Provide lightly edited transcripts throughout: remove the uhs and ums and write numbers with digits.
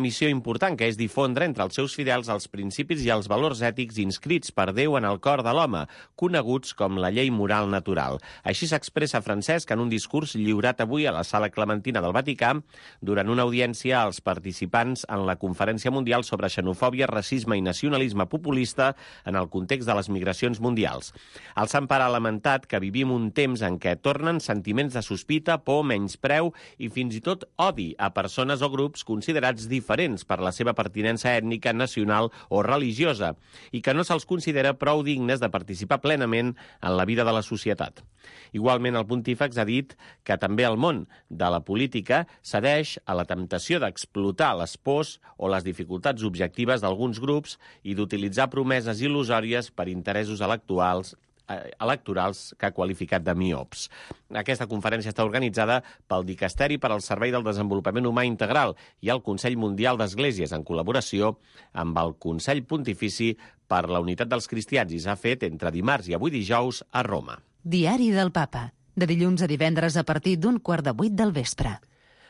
missió important, que és difondre entre els seus fidels els principis i els valors ètics inscrits per Déu en el cor de l'home, coneguts com la llei moral natural. Així s'expressa Francesc en un discurs lliurat avui a la Sala Clementina del Vaticà durant una audiència als participants en la Conferència Mundial sobre Xenofòbia, Racisme i Nacionalisme Populista en el context de les migracions mundials. El Sant Pare ha lamentat que vivim un temps en què tornen sentiments de sospita, por, menyspreu i fins i tot odi a persones o grups considerats diferents per la seva pertinença ètnica, nacional o religiosa i que no se'ls considera prou dignes de participar plenament en la vida de la societat. Igualment, el pontífex ha dit que també el món de la política cedeix a la temptació d'explotar les pors o les dificultats objectives d'alguns grups i d'utilitzar promeses il·lusòries per interessos electorals que ha qualificat de miops. Aquesta conferència està organitzada pel Dicasteri per al Servei del Desenvolupament Humà Integral i el Consell Mundial d'Esglésies, en col·laboració amb el Consell Pontifici per la Unitat dels Cristians, i s'ha fet entre dimarts i avui dijous a Roma. Diari del Papa, de dilluns a divendres a partir d'7:15 del vespre.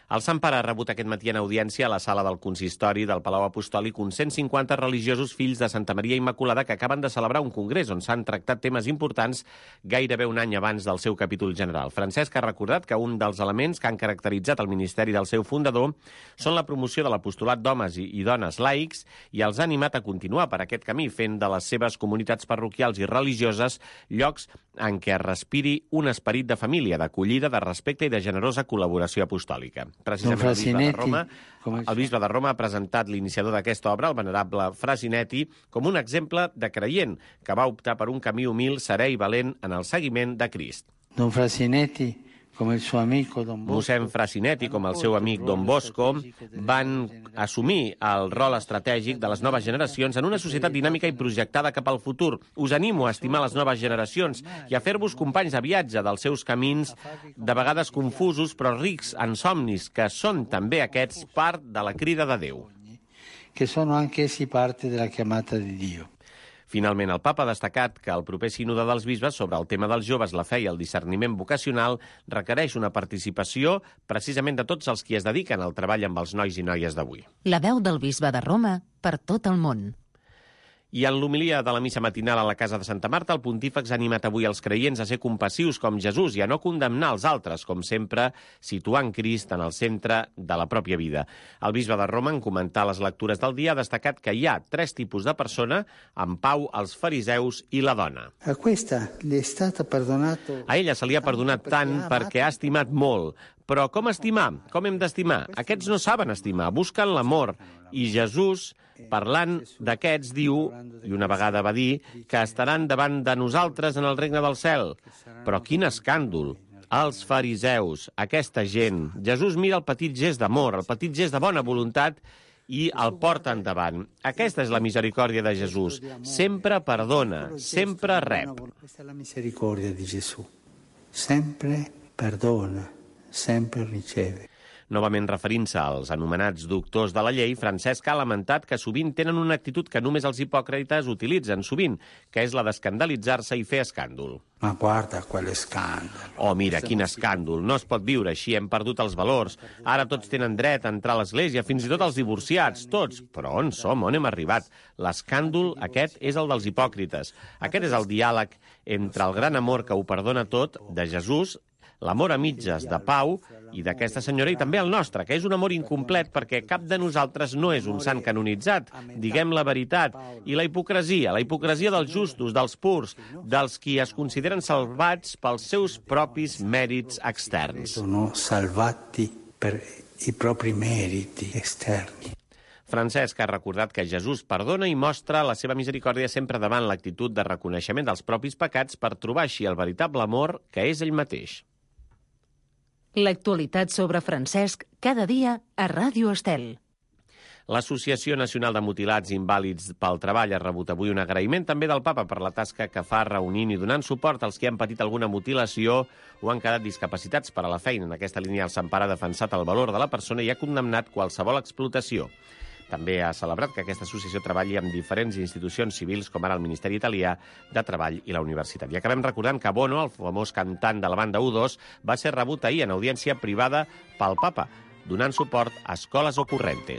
El Sant Pare ha rebut aquest matí en audiència a la sala del consistori del Palau Apostòlic uns 150 religiosos fills de Santa Maria Immaculada que acaben de celebrar un congrés on s'han tractat temes importants gairebé un any abans del seu capítol general. Francesc ha recordat que un dels elements que han caracteritzat el ministeri del seu fundador són la promoció de l'apostolat d'homes i dones laics i els ha animat a continuar per aquest camí, fent de les seves comunitats parroquials i religioses llocs en què es respiri un esperit de família, d'acollida, de respecte i de generosa col·laboració apostòlica. Precisament el bisbe de Roma ha presentat l'iniciador d'aquesta obra, el venerable Frasinetti, com un exemple de creient que va optar per un camí humil, serè i valent en el seguiment de Crist. Don Frasinetti, com el seu amic Don Bosco, Mossèn Frasinetti, com el seu amic Don Bosco, van assumir el rol estratègic de les noves generacions en una societat dinàmica i projectada cap al futur. Us animo a estimar les noves generacions i a fer-vos companys de viatge dels seus camins, de vegades confusos però rics en somnis, que són també aquests part de la crida de Déu. Que sono anch'essi parte della chiamata di Dio. Finalment, el papa ha destacat que el proper sínode dels bisbes sobre el tema dels joves, la fe i el discerniment vocacional requereix una participació precisament de tots els qui es dediquen al treball amb els nois i noies d'avui. La veu del bisbe de Roma per tot el món. I en l'homilia de la missa matinal a la Casa de Santa Marta, el pontífex ha animat avui els creients a ser compassius com Jesús i a no condemnar els altres, com sempre, situant Crist en el centre de la pròpia vida. El bisbe de Roma, en comentar les lectures del dia, ha destacat que hi ha 3 tipus de persona: en Pau, els fariseus i la dona. A ella se li ha perdonat tant perquè ha estimat molt. Però com estimar? Com hem d'estimar? Aquests no saben estimar, busquen l'amor. I Jesús, parlant d'aquests, diu, i una vegada va dir, que estaran davant de nosaltres en el regne del cel. Però quin escàndol! Els fariseus, aquesta gent. Jesús mira el petit gest d'amor, el petit gest de bona voluntat i el porta endavant. Aquesta és la misericòrdia de Jesús. Sempre perdona, sempre rep. Questa è la misericordia di Gesù. Sempre perdona, sempre riceve. Novament referint-se als anomenats doctors de la llei, Francesc ha lamentat que sovint tenen una actitud que només els hipòcrites utilitzen sovint, que és la d'escandalitzar-se i fer escàndol. Ma guarda quel escàndol. Oh, mira, quin escàndol. No es pot viure així, hem perdut els valors. Ara tots tenen dret a entrar a l'església, fins i tot els divorciats, tots. Però on som? On hem arribat? L'escàndol aquest és el dels hipòcrites. Aquest és el diàleg entre el gran amor que ho perdona tot, de Jesús, l'amor a mitges de Pau i d'aquesta senyora, i també el nostre, que és un amor incomplet perquè cap de nosaltres no és un sant canonitzat, diguem la veritat. I la hipocresia dels justos, dels purs, dels qui es consideren salvats pels seus propis mèrits externs. Sono salvati per i propri meriti esterni. Francesc ha recordat que Jesús perdona i mostra la seva misericòrdia sempre davant l'actitud de reconeixement dels propis pecats per trobar així el veritable amor que és ell mateix. L'actualitat sobre Francesc cada dia a Ràdio Estel. L'Associació Nacional de Mutilats i Invàlids pel Treball ha rebut avui un agraïment també del papa per la tasca que fa reunint i donant suport als que han patit alguna mutilació o han quedat discapacitats per a la feina. En aquesta línia, el Sant Pare ha defensat el valor de la persona i ha condemnat qualsevol explotació. També ha celebrat que aquesta associació treballi amb diferents institucions civils, com ara el Ministeri Italià de Treball i la Universitat. I acabem recordant que Bono, el famós cantant de la banda U2, va ser rebut ahir en audiència privada pel papa, donant suport a Escoles Ocurrentes.